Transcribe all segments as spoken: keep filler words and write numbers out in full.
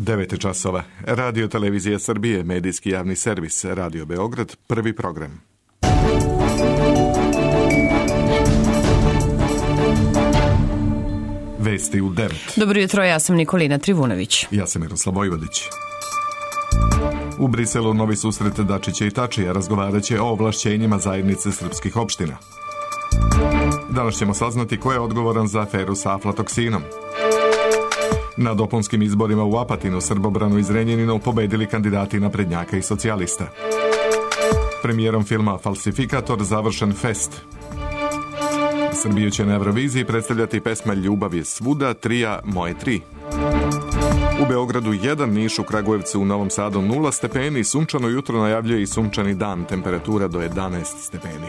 devet časova. Radio Televizija Srbije, medijski javni servis, Radio Beograd, prvi program. Vesti u devet. Dobro jutro, ja sam Nikolina Trivunović. Ja sam Miroslav Vojvodić. U Briselu novi susret Dačića i Tačija razgovarat će o ovlašćenjima zajednice srpskih opština. Danas ćemo saznati ko je odgovoran za aferu sa aflatoksinom. Na dopunskim izborima u Apatinu, Srbobranu i Zrenjaninu pobedili kandidati naprednjaka i socijalista. Premijerom filma Falsifikator završen fest. Srbiju će na Euroviziji predstavljati pesma Ljubav je svuda, trija Moje tri. U Beogradu jedan, Niš, u Kragujevcu, u Novom Sadu nula stepeni, sunčano jutro najavljuje i sunčani dan, temperatura do jedanaest stepeni.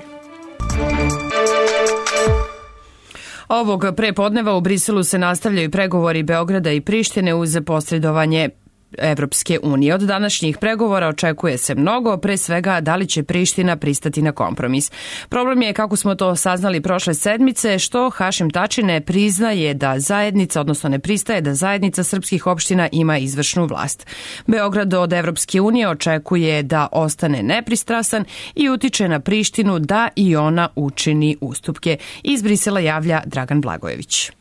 Ovog prepodneva u Briselu se nastavljaju pregovori Beograda i Prištine uz posredovanje Evropske unije. Od današnjih pregovora očekuje se mnogo, pre svega da li će Priština pristati na kompromis. Problem je, kako smo to saznali prošle sedmice, što Hašim Tači ne priznaje da zajednica, odnosno ne pristaje da zajednica srpskih opština ima izvršnu vlast. Beograd od Evropske unije očekuje da ostane nepristrasan i utiče na Prištinu da i ona učini ustupke. Iz Brisela javlja Dragan Blagojević.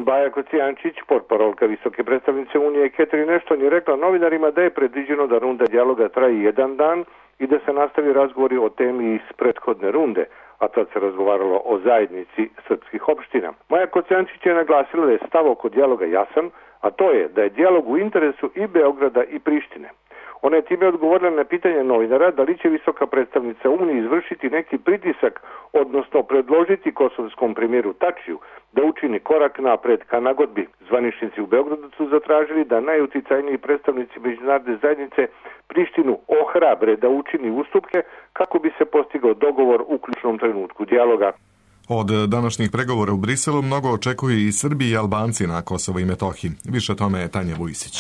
Baja Kocijančić, portparolka visoke predstavnice Unije Catherine Ashton, je rekla novinarima da je predviđeno da runda dijaloga traji jedan dan i da se nastavi razgovori o temi iz prethodne runde, a tad se razgovaralo o zajednici srpskih opština. Maja Kocijančić je naglasila da je stav oko dijaloga jasan, a to je da je dijalog u interesu i Beograda i Prištine. Ona je time odgovorila na pitanje novinara da li će visoka predstavnica Unije izvršiti neki pritisak, odnosno predložiti kosovskom premijeru Tačiju da učini korak napred ka nagodbi. Zvaničnici u Beogradu su zatražili da najuticajniji predstavnici međunarodne zajednice Prištinu ohrabre da učini ustupke kako bi se postigao dogovor u ključnom trenutku dijaloga. Od današnjih pregovora u Briselu mnogo očekuju i Srbi i Albanci na Kosovo i Metohiji. Više o tome je Tanja Vujsić.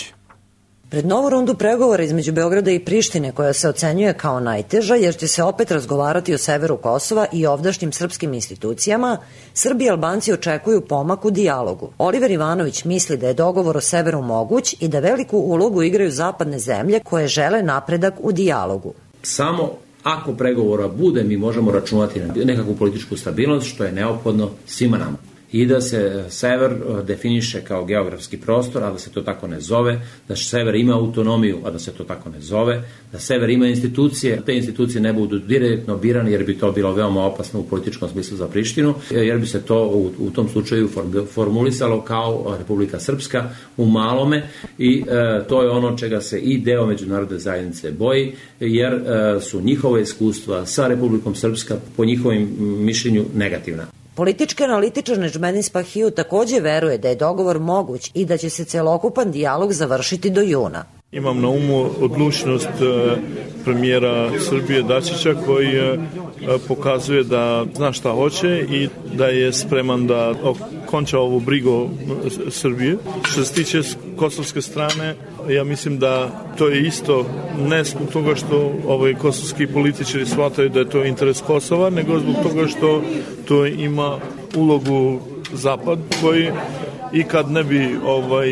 Pred novu rundu pregovora između Beograda i Prištine, koja se ocenjuje kao najteža jer će se opet razgovarati o severu Kosova i ovdašnjim srpskim institucijama, Srbi i Albanci očekuju pomak u dijalogu. Oliver Ivanović misli da je dogovor o severu moguć i da veliku ulogu igraju zapadne zemlje koje žele napredak u dijalogu. Samo ako pregovora bude, mi možemo računati na nekakvu političku stabilnost, što je neophodno svima nama. I da se sever definiše kao geografski prostor, a da se to tako ne zove, da sever ima autonomiju, a da se to tako ne zove, da sever ima institucije, te institucije ne budu direktno birane, jer bi to bilo veoma opasno u političkom smislu za Prištinu, jer bi se to u, u tom slučaju formulisalo kao Republika Srpska u malome i e, to je ono čega se i deo međunarodne zajednice boji, jer e, su njihove iskustva sa Republikom Srpska po njihovim mišljenju negativna. Politički analitičar Nedžmedin Spahiju takođe veruje da je dogovor moguć i da će se celokupan dijalog završiti do juna. Imam na umu odlučnost premijera Srbije Dačića koji pokazuje da zna šta hoće i da je spreman da okonča ovu brigu Srbije. Što se tiče kosovske strane, ja mislim da to je isto ne zbog toga što ovaj kosovski političari shvataju da je to interes Kosova, nego zbog toga što to ima ulogu Zapad koji i kad ne bi ovaj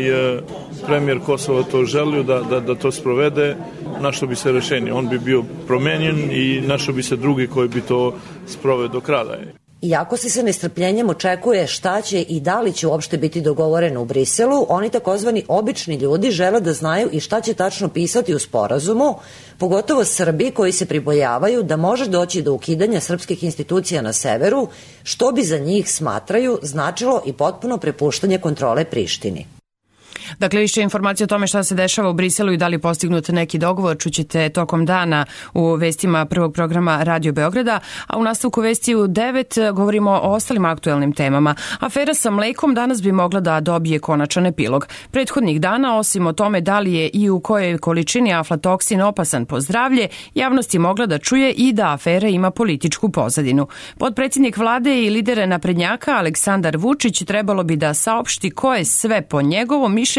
premijer Kosova to želio da, da, da to sprovede, našlo bi se rešenje. On bi bio promenjen i našlo bi se drugi koji bi to sproveo do kraja. Iako se sa nestrpljenjem očekuje šta će i da li će uopšte biti dogovoreno u Briselu, oni takozvani obični ljudi žele da znaju i šta će tačno pisati u sporazumu, pogotovo Srbi koji se pribojavaju da može doći do ukidanja srpskih institucija na severu, što bi za njih, smatraju, značilo i potpuno prepuštanje kontrole Prištini. Dakle, više informacije o tome šta se dešava u Briselu i da li postignut neki dogovor čućete tokom dana u vestima prvog programa Radio Beograda, a u nastavku vesti u devet govorimo o ostalim aktuelnim temama. Afera sa mlekom danas bi mogla da dobije konačan epilog. Prethodnih dana, osim o tome da li je i u kojoj količini aflatoksin opasan po zdravlje, javnost je mogla da čuje i da afera ima političku pozadinu. Potpredsjednik vlade i lider naprednjaka Aleksandar Vučić trebalo bi da saopšti ko je sve po njegovom mišljenju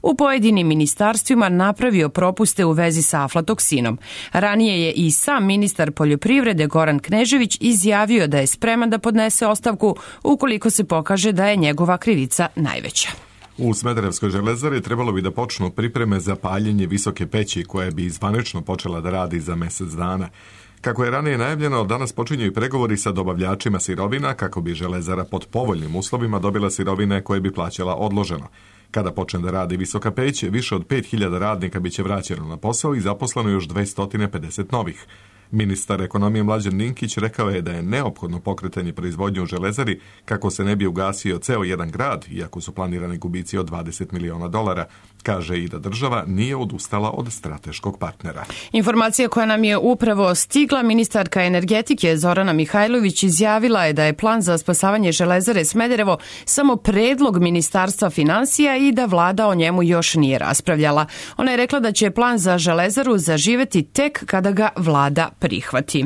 u pojedinim ministarstvima napravio propuste u vezi sa aflatoksinom. Ranije je i sam ministar poljoprivrede Goran Knežević izjavio da je spreman da podnese ostavku ukoliko se pokaže da je njegova krivica najveća. U Smederevskoj železari trebalo bi da počnu pripreme za paljenje visoke peći koja bi zvanično počela da radi za mesec dana. Kako je ranije najavljeno, danas počinju i pregovori sa dobavljačima sirovina kako bi železara pod povoljnim uslovima dobila sirovine koje bi plaćala odloženo. Kada počne da radi visoka peć, više od pet hiljada radnika biće vraćeno na posao i zaposleno još dvesta pedeset novih. Ministar ekonomije Mlađan Ninkić rekao je da je neophodno pokretanje proizvodnje u železari kako se ne bi ugasio ceo jedan grad, iako su planirani gubici od dvadeset miliona dolara. Kaže i da država nije odustala od strateškog partnera. Informacija koja nam je upravo stigla, ministarka energetike Zorana Mihajlović izjavila je da je plan za spasavanje železare Smederevo samo predlog Ministarstva finansija i da vlada o njemu još nije raspravljala. Ona je rekla da će plan za železaru zaživeti tek kada ga vlada prihvati.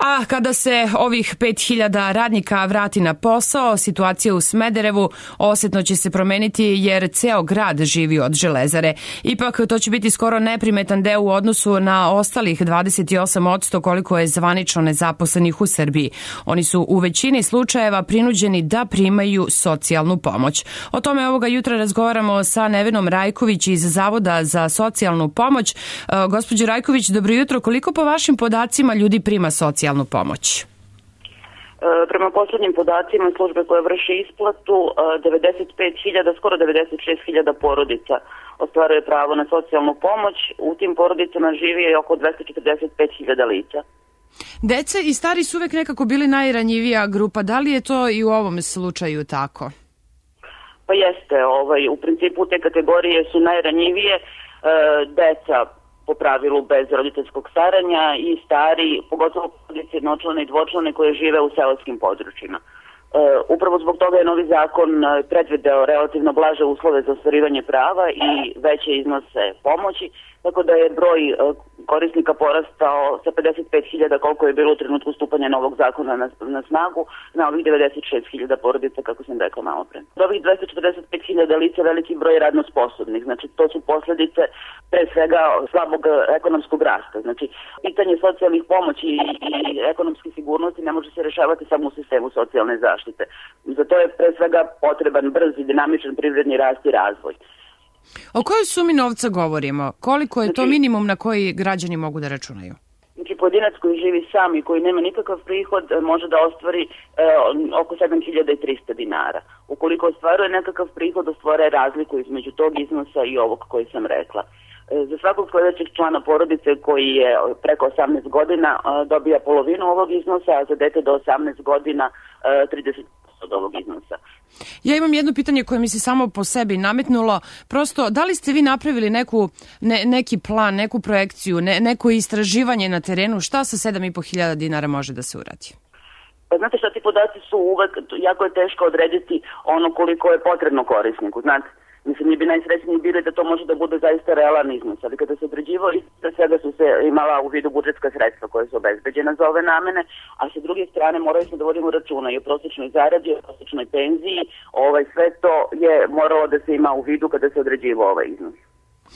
A kada se ovih pet hiljada radnika vrati na posao, situacija u Smederevu osetno će se promeniti jer ceo grad živi od železare. Ipak to će biti skoro neprimetan deo u odnosu na ostalih dvadeset osam posto koliko je zvanično nezaposlenih u Srbiji. Oni su u većini slučajeva prinuđeni da primaju socijalnu pomoć. O tome ovoga jutra razgovaramo sa Nevenom Rajković iz Zavoda za socijalnu pomoć. Gospođo Rajković, dobro jutro. Koliko po vašim podacima ljudi prima socijalnu pomoć? Prema poslednjim podacima službe koje vrše isplatu, devedeset pet hiljada, skoro devedeset šest hiljada porodica ostvaruje pravo na socijalnu pomoć. U tim porodicama živi oko dvesta četrdeset pet hiljada lica. Deca i stari su uvek nekako bili najranjivija grupa. Da li je to i u ovom slučaju tako? Pa jeste. Ovaj, u principu te kategorije su najranjivije. Deca po pravilu bez roditeljskog staranja i stari, pogotovo porodice jednočlane i dvočlane koje žive u seoskim područjima. E, upravo zbog toga je novi zakon predvideo relativno blaže uslove za ostvarivanje prava i veće iznose pomoći, tako da je broj korisnika porastao sa pedeset pet hiljada koliko je bilo u trenutku stupanja novog zakona na, na snagu na ovih devedeset šest hiljada porodica, kako sam rekla malo pre. Od ovih dvesta četrdeset pet hiljada lica veliki broj radno sposobnih, znači to su posledice pre svega slabog ekonomskog rasta. Znači pitanje socijalnih pomoći i, i ekonomske sigurnosti ne može se rešavati samo u sistemu socijalne zaštite. Za to je pre svega potreban brz i dinamičan privredni rast i razvoj. O kojoj sumi novca govorimo? Koliko je to minimum na koji građani mogu da računaju? Znači, pojedinac koji živi sam i koji nema nikakav prihod može da ostvari e, oko sedam hiljada trista dinara. Ukoliko ostvaruje nekakav prihod, ostvare razliku između tog iznosa i ovog koji sam rekla. E, za svakog sledećeg člana porodice koji je preko osamnaest godina e, dobija polovinu ovog iznosa, a za dete do osamnaest godina e, trideset posto od ovog iznosa. Ja imam jedno pitanje koje mi se samo po sebi nametnulo. Prosto, da li ste vi napravili neku, ne, neki plan, neku projekciju, ne, neko istraživanje na terenu, šta sa sedam i po hiljada dinara može da se uradi? Pa znate šta, ti podaci su uvek, jako je teško odrediti ono koliko je potrebno korisniku, znate. Mislim, mi bi najsrećniji bili da to može da bude zaista realan iznos, ali kada se određivao, sve svega su se imala u vidu budžetska sredstva koje su obezbeđena za ove namene, a sa druge strane morali smo da vodimo računa i o prosječnoj zaradi, o prosječnoj penziji, ovaj, sve to je moralo da se ima u vidu kada se određivao ovaj iznos.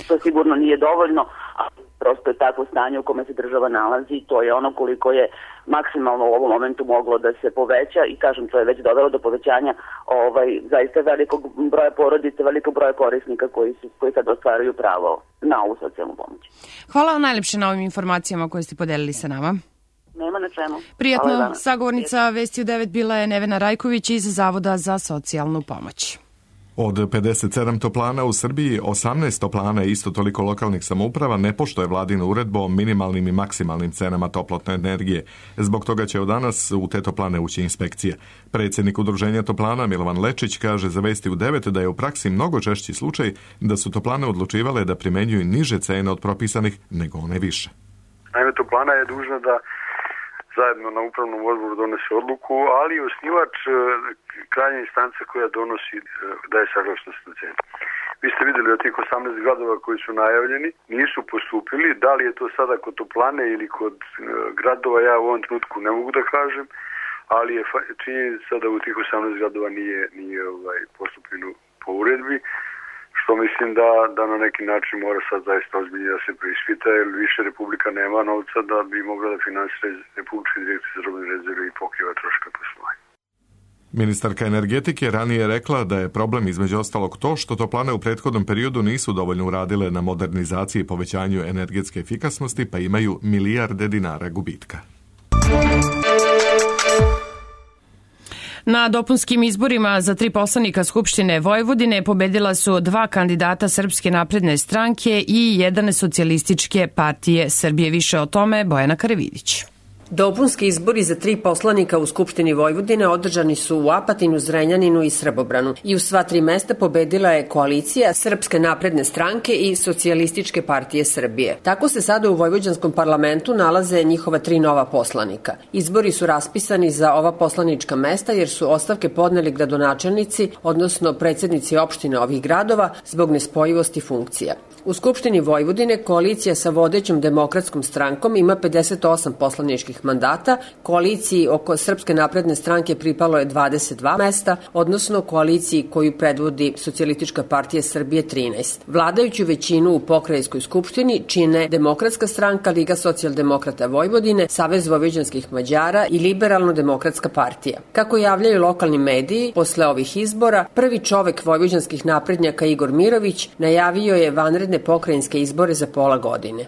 To sigurno nije dovoljno, ali prosto je takvo stanje u kome se država nalazi i to je ono koliko je maksimalno u ovom momentu moglo da se poveća i kažem, to je već dovelo do povećanja ovaj, zaista velikog broja porodica, velikog broja korisnika koji, su, koji sad ostvaruju pravo na ovu socijalnu pomoć. Hvala vam najlepše na ovim informacijama koje ste podelili sa nama. Nema na čemu. Prijatno, sagovornica Vesti u devet bila je Nevena Rajković iz Zavoda za socijalnu pomoć. Od pedeset sedam toplana u Srbiji, osamnaest toplana i isto toliko lokalnih samouprava ne poštuje vladinu uredbu o minimalnim i maksimalnim cenama toplotne energije. Zbog toga će od danas u te toplane ući inspekcija. Predsjednik udruženja toplana Milovan Lečić kaže za Vesti u devet da je u praksi mnogo češći slučaj da su toplane odlučivale da primenjuju niže cene od propisanih nego one više. Naime, toplana je dužna da zajedno na upravnom odboru donese odluku, ali osnivač krajnja instanca koja donosi daje saglasnost na cenu. Vi ste vidjeli od tih osamnaest gradova koji su najavljeni, nisu postupili. Da li je to sada kod toplane ili kod gradova, ja u ovom trenutku ne mogu da kažem, ali je činjenica da u tih osamnaest gradova nije, nije ovaj, postupljeno po uredbi, što mislim da, da na neki način mora sad zaista ozbiljnije da se preispita, jer više Republika nema novca da bi mogla da finansira Republičke direkcije za robne rezerve i pokriva troška poslovanja. Ministarka energetike ranije je rekla da je problem između ostalog to što toplane u prethodnom periodu nisu dovoljno uradile na modernizaciji i povećanju energetske efikasnosti, pa imaju milijarde dinara gubitka. Na dopunskim izborima za tri poslanika Skupštine Vojvodine pobedila su dva kandidata Srpske napredne stranke i jedan socijalističke partije Srbije. Više o tome Bojana Karavidić. Dopunski izbori za tri poslanika u Skupštini Vojvodine održani su u Apatinu, Zrenjaninu i Srbobranu i u sva tri mesta pobedila je koalicija Srpske napredne stranke i Socijalističke partije Srbije. Tako se sada u vojvođanskom parlamentu nalaze njihova tri nova poslanika. Izbori su raspisani za ova poslanička mesta jer su ostavke podneli gradonačelnici, odnosno predsednici opštine ovih gradova zbog nespojivosti funkcija. U Skupštini Vojvodine koalicija sa vodećom Demokratskom strankom ima pedeset osam poslaničkih mandata, koaliciji oko Srpske napredne stranke pripalo je dvadeset dva mesta, odnosno koaliciji koju predvodi Socijalistička partija Srbije trinaest. Vladajuću većinu u pokrajinskoj skupštini čine Demokratska stranka, Liga socijaldemokrata Vojvodine, Savez vojvođanskih Mađara i Liberalno-demokratska partija. Kako javljaju lokalni mediji, posle ovih izbora, prvi čovek vojvođanskih naprednjaka Igor Mirović najavio je vanredne pokrajinske izbore za pola godine.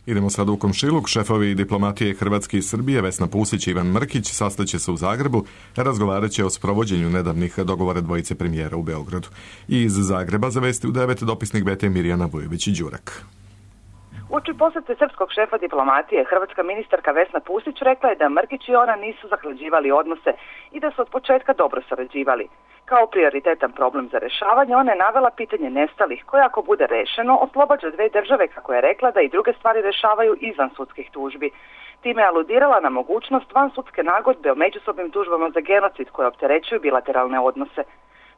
Idemo sad u komšiluk. Šefovi diplomatije Hrvatske i Srbije Vesna Pusić i Ivan Mrkić sastaće se u Zagrebu, razgovarat će o sprovođenju nedavnih dogovora dvojice premijera u Beogradu. I iz Zagreba za Vesti u devet dopisnik B T Mirjana Vujović-Đurak. Uoči posete srpskog šefa diplomatije, hrvatska ministarka Vesna Pusić rekla je da Mrkić i ona nisu zahlađivali odnose i da su od početka dobro sarađivali. Kao prioritetan problem za rešavanje, ona je navela pitanje nestalih, koje ako bude rešeno, oslobađa dve države, kako je rekla, da i druge stvari rešavaju izvan sudskih tužbi. Time je aludirala na mogućnost vansudske nagodbe o međusobnim tužbama za genocid koje opterećuju bilateralne odnose.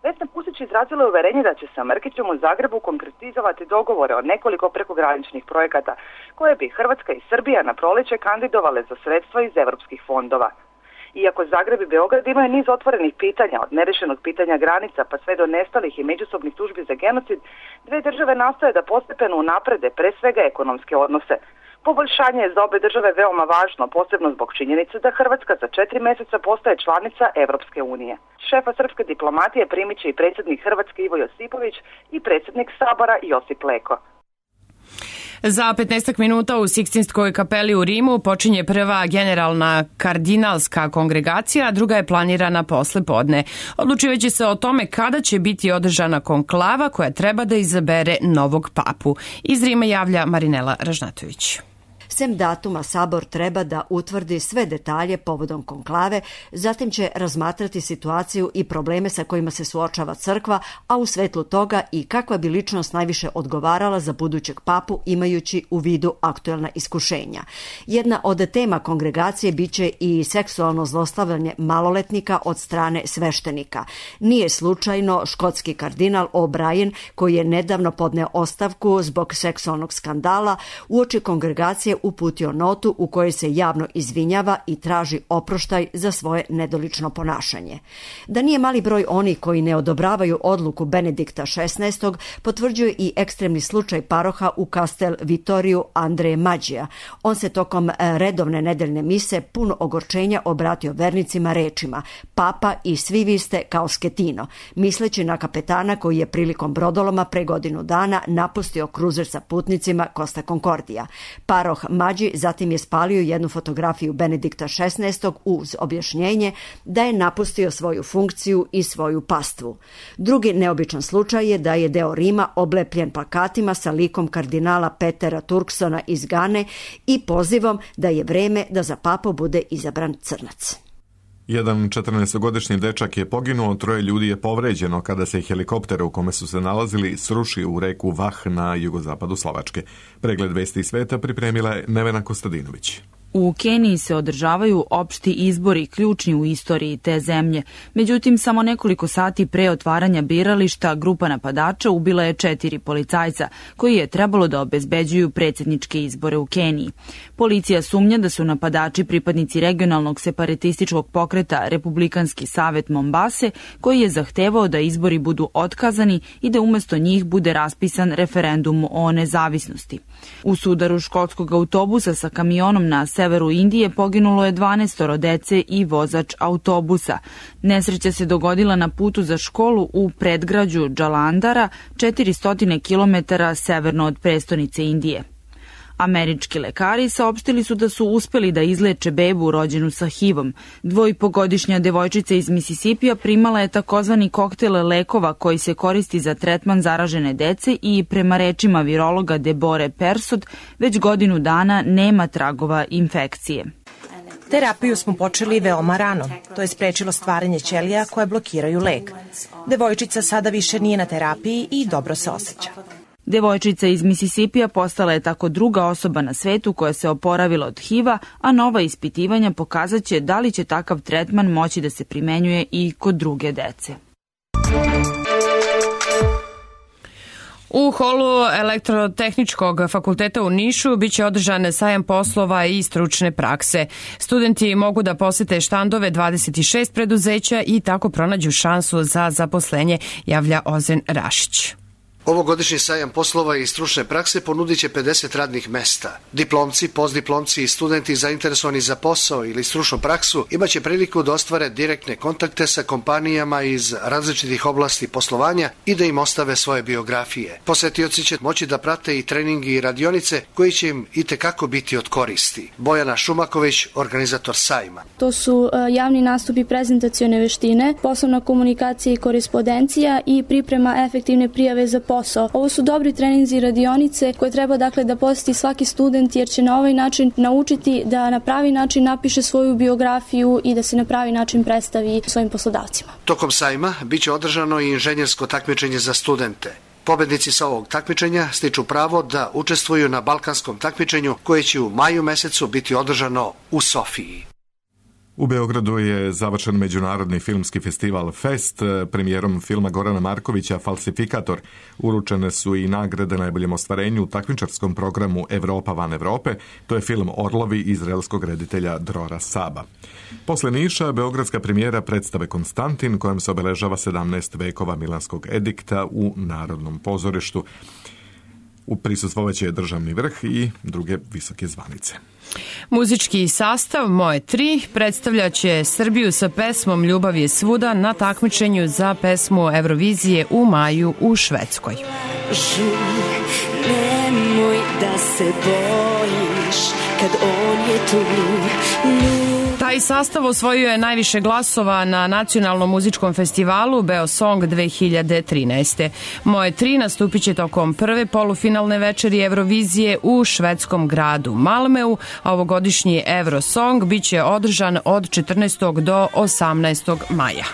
Vesna Pusić izrazila uverenje da će sa Mrkićem u Zagrebu konkretizovati dogovore o nekoliko prekograničnih projekata koje bi Hrvatska i Srbija na proleće kandidovale za sredstva iz evropskih fondova. Iako Zagreb i Beograd imaju niz otvorenih pitanja, od nerešenog pitanja granica pa sve do nestalih i međusobnih tužbi za genocid, dve države nastoje da postepeno unaprede pre svega ekonomske odnose. Poboljšanje je za obe države veoma važno, posebno zbog činjenice da Hrvatska za četiri meseca postaje članica Evropske unije. Šefa srpske diplomatije primit će i predsjednik Hrvatske Ivo Josipović i predsjednik Sabora Josip Leko. Za petnaestak minuta u Sikstinskoj kapeli u Rimu počinje prva generalna kardinalska kongregacija, a druga je planirana posle podne. Odlučivaće se o tome kada će biti održana konklava koja treba da izabere novog papu. Iz Rima javlja Marinela Ražnatović. Sem datuma, Sabor treba da utvrdi sve detalje povodom konklave, zatim će razmatrati situaciju i probleme sa kojima se suočava crkva, a u svetlu toga i kakva bi ličnost najviše odgovarala za budućeg papu imajući u vidu aktuelna iskušenja. Jedna od tema kongregacije biće i seksualno zlostavljanje maloletnika od strane sveštenika. Nije slučajno škotski kardinal O'Brien, koji je nedavno podneo ostavku zbog seksualnog skandala, uoči kongregacije uputio notu u kojoj se javno izvinjava i traži oproštaj za svoje nedolično ponašanje. Da nije mali broj onih koji ne odobravaju odluku Benedikta šesnaestog potvrđuje i ekstremni slučaj paroha u Castel Vittoriju Andreje Mađija. On se tokom redovne nedeljne mise pun ogorčenja obratio vernicima rečima: Papa i svi vi ste kao Sketino, misleći na kapetana koji je prilikom brodoloma pre godinu dana napustio kruzer sa putnicima Costa Concordia. Paroh Mađi zatim je spalio jednu fotografiju Benedikta šesnaestog uz objašnjenje da je napustio svoju funkciju i svoju pastvu. Drugi neobičan slučaj je da je deo Rima oblepljen plakatima sa likom kardinala Petera Turksona iz Gane i pozivom da je vreme da za papu bude izabran crnac. Jedan četrnaestogodišnji dečak je poginuo, troje ljudi je povređeno kada se helikopter u kome su se nalazili srušio u reku Vah na jugozapadu Slovačke. Pregled vesti sveta pripremila je Nevena Kostadinović. U Keniji se održavaju opšti izbori ključni u istoriji te zemlje. Međutim, samo nekoliko sati pre otvaranja birališta grupa napadača ubila je četiri policajca koji je trebalo da obezbeđuju predsjedničke izbore u Keniji. Policija sumnja da su napadači pripadnici regionalnog separatističkog pokreta Republikanski savet Mombase, koji je zahtevao da izbori budu otkazani i da umesto njih bude raspisan referendum o nezavisnosti. U sudaru školskog autobusa sa kamionom na severu Indije poginulo je dvanaestoro dece i vozač autobusa. Nesreća se dogodila na putu za školu u predgrađu Jalandhara, četiristo kilometara severno od prestonice Indije. Američki lekari saopštili su da su uspeli da izleče bebu rođenu sa H I V-om. Dvojpogodišnja devojčica iz Misisipija primala je takozvani koktel lekova koji se koristi za tretman zaražene dece i prema rečima virologa Debore Persod već godinu dana nema tragova infekcije. Terapiju smo počeli veoma rano. To je sprečilo stvaranje ćelija koje blokiraju lek. Devojčica sada više nije na terapiji i dobro se osjeća. Devojčica iz Misisipija postala je tako druga osoba na svetu koja se oporavila od H I V-a, a nova ispitivanja pokazaće da li će takav tretman moći da se primenjuje i kod druge dece. U holu Elektrotehničkog fakulteta u Nišu biće održan sajam poslova i stručne prakse. Studenti mogu da posete štandove dvadeset šest preduzeća i tako pronađu šansu za zaposlenje, javlja Ozen Rašić. Ovogodišnji sajam poslova i stručne prakse ponudit će pedeset radnih mesta. Diplomci, postdiplomci i studenti zainteresovani za posao ili stručnu praksu imaće priliku da ostvare direktne kontakte sa kompanijama iz različitih oblasti poslovanja i da im ostave svoje biografije. Posetioci će moći da prate i treningi i radionice koji će im itekako biti od koristi. Bojana Šumaković, organizator sajma. To su javni nastupi, prezentacione veštine, poslovna komunikacija i korespondencija i priprema efektivne prijave za posao. Ovo su dobri treninzi i radionice koje treba dakle da poseti svaki student jer će na ovaj način naučiti da na pravi način napiše svoju biografiju i da se na pravi način predstavi svojim poslodavcima. Tokom sajma biće održano i inženjersko takmičenje za studente. Pobednici sa ovog takmičenja stiču pravo da učestvuju na balkanskom takmičenju koje će u maju mesecu biti održano u Sofiji. U Beogradu je završen međunarodni filmski festival Fest premijerom filma Gorana Markovića Falsifikator. Uručene su i nagrade najboljem ostvarenju u takmičarskom programu Evropa van Evrope. To je film Orlovi izraelskog reditelja Drora Saba. Posle Niša, beogradska premijera predstave Konstantin, kojom se obeležava sedamnaest vekova Milanskog edikta u Narodnom pozorištu. U prisustvovaće državni vrh i druge visoke zvanice. Muzički sastav Moje tri predstavljaće Srbiju sa pesmom Ljubav je svuda na takmičenju za pesmu Eurovizije u maju u Švedskoj. Nemoj da se bojiš kad on je tu. Taj sastav osvojio je najviše glasova na Nacionalnom muzičkom festivalu Beosong dve hiljade trinaeste. Moje tri nastupit će tokom prve polufinalne večeri Eurovizije u švedskom gradu Malmeu, a ovogodišnji Eurosong bit će održan od četrnaestog do osamnaestog maja.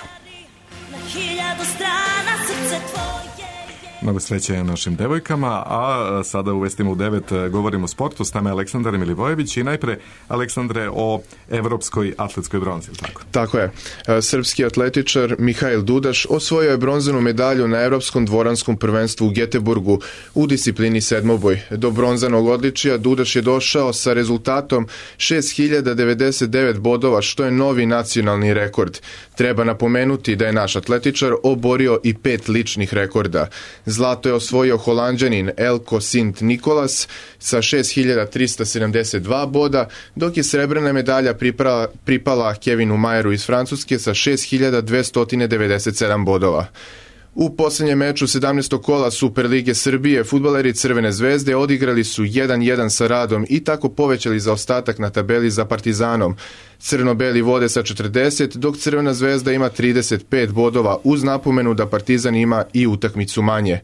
Mnogo sreće našim devojkama, a sada u Vestima u devet govorimo o sportu. S nama je Aleksandar Milivojević i najpre, Aleksandre, o evropskoj atletskoj bronzi, tako? Tako je. Srpski atletičar Mihail Dudaš osvojio je bronzanu medalju na Evropskom dvoranskom prvenstvu u Geteborgu u disciplini sedmoboj. Do bronzanog odličija Dudaš je došao sa rezultatom šest hiljada devedeset devet bodova, što je novi nacionalni rekord. Treba napomenuti da je naš atletičar oborio i pet ličnih rekorda. Zlato je osvojio Holanđanin Elko Sint Nikolas sa šest hiljada trista sedamdeset dva boda, dok je srebrna medalja pripala, pripala Kevinu Majeru iz Francuske sa šest hiljada dvesta devedeset sedam bodova. U poslednjem meču sedamnaestog kola Superlige Srbije fudbaleri Crvene zvezde odigrali su jedan jedan sa Radom i tako povećali zaostatak na tabeli za Partizanom. Crno-beli vode sa četrdeset, dok Crvena zvezda ima trideset pet bodova, uz napomenu da Partizan ima i utakmicu manje.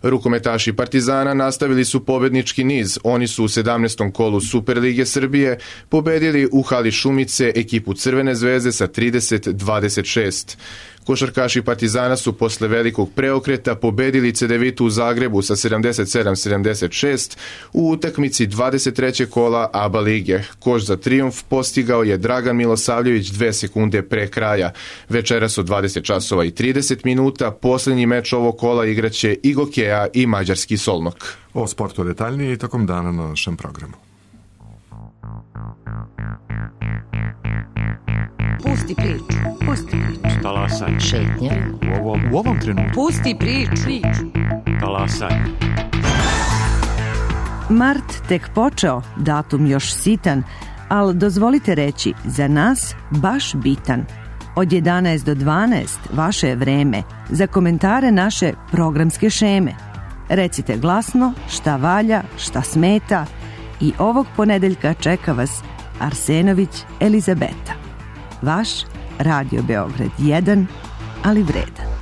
Rukometaši Partizana nastavili su pobednički niz. Oni su u sedamnaestom kolu Superlige Srbije pobedili u hali Šumice ekipu Crvene zvezde sa trideset dvadeset šest. Košarkaši Partizana su posle velikog preokreta pobedili Cedevitu u Zagrebu sa sedamdeset sedam sedamdeset šest u utakmici dvadeset trećeg kola A B A lige. Koš za trijumf postigao je Dragan Milosavljević dve sekunde pre kraja. Večeras od dvadeset časova i trideset minuta poslednji meč ovog kola igraće i Gokeja i mađarski Solnok. O sportu detaljnije i tokom dana na našem programu. Pusti priču, pusti priču. Talasaj. Šetnja. U ovom, u ovom trenutku. Pusti priču. Talasaj. Mart tek počeo, datum još sitan, ali dozvolite reći, za nas baš bitan. Od jedanaest do dvanaest vaše je vreme za komentare naše programske šeme. Recite glasno šta valja, šta smeta i ovog ponedeljka čeka vas Arsenović Elizabeta. Vaš Radio Beograd jedan, ali vredan.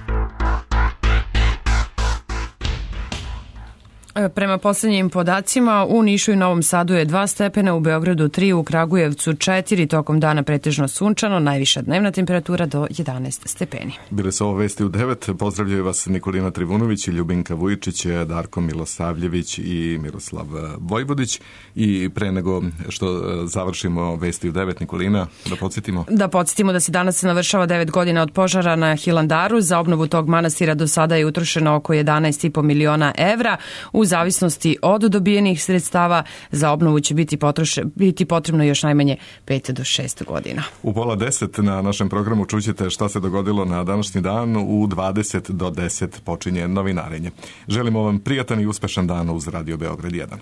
Prema poslednjim podacima, u Nišu i Novom Sadu je dva stepena, u Beogradu tri, u Kragujevcu četiri, tokom dana pretežno sunčano, najviša dnevna temperatura do jedanaest stepeni. Bile su ovo vesti u devet, pozdravljaju vas Nikolina Trivunović, Ljubinka Vujičić, Darko Milosavljević i Miroslav Vojvodić. I pre nego što završimo vesti u devet, Nikolina, da podsjetimo? Da podsjetimo da se danas navršava devet godina od požara na Hilandaru. Za obnovu tog manastira do sada je utrošeno oko jedanaest i po miliona evra. U zavisnosti od dobijenih sredstava za obnovu će biti, potroše, biti potrebno još najmanje pet do šest godina. U pola deset na našem programu čućete šta se dogodilo na današnji dan. U dvadeset do deset počinje novinarenje. Želimo vam prijatan i uspešan dan uz Radio Beograd jedan.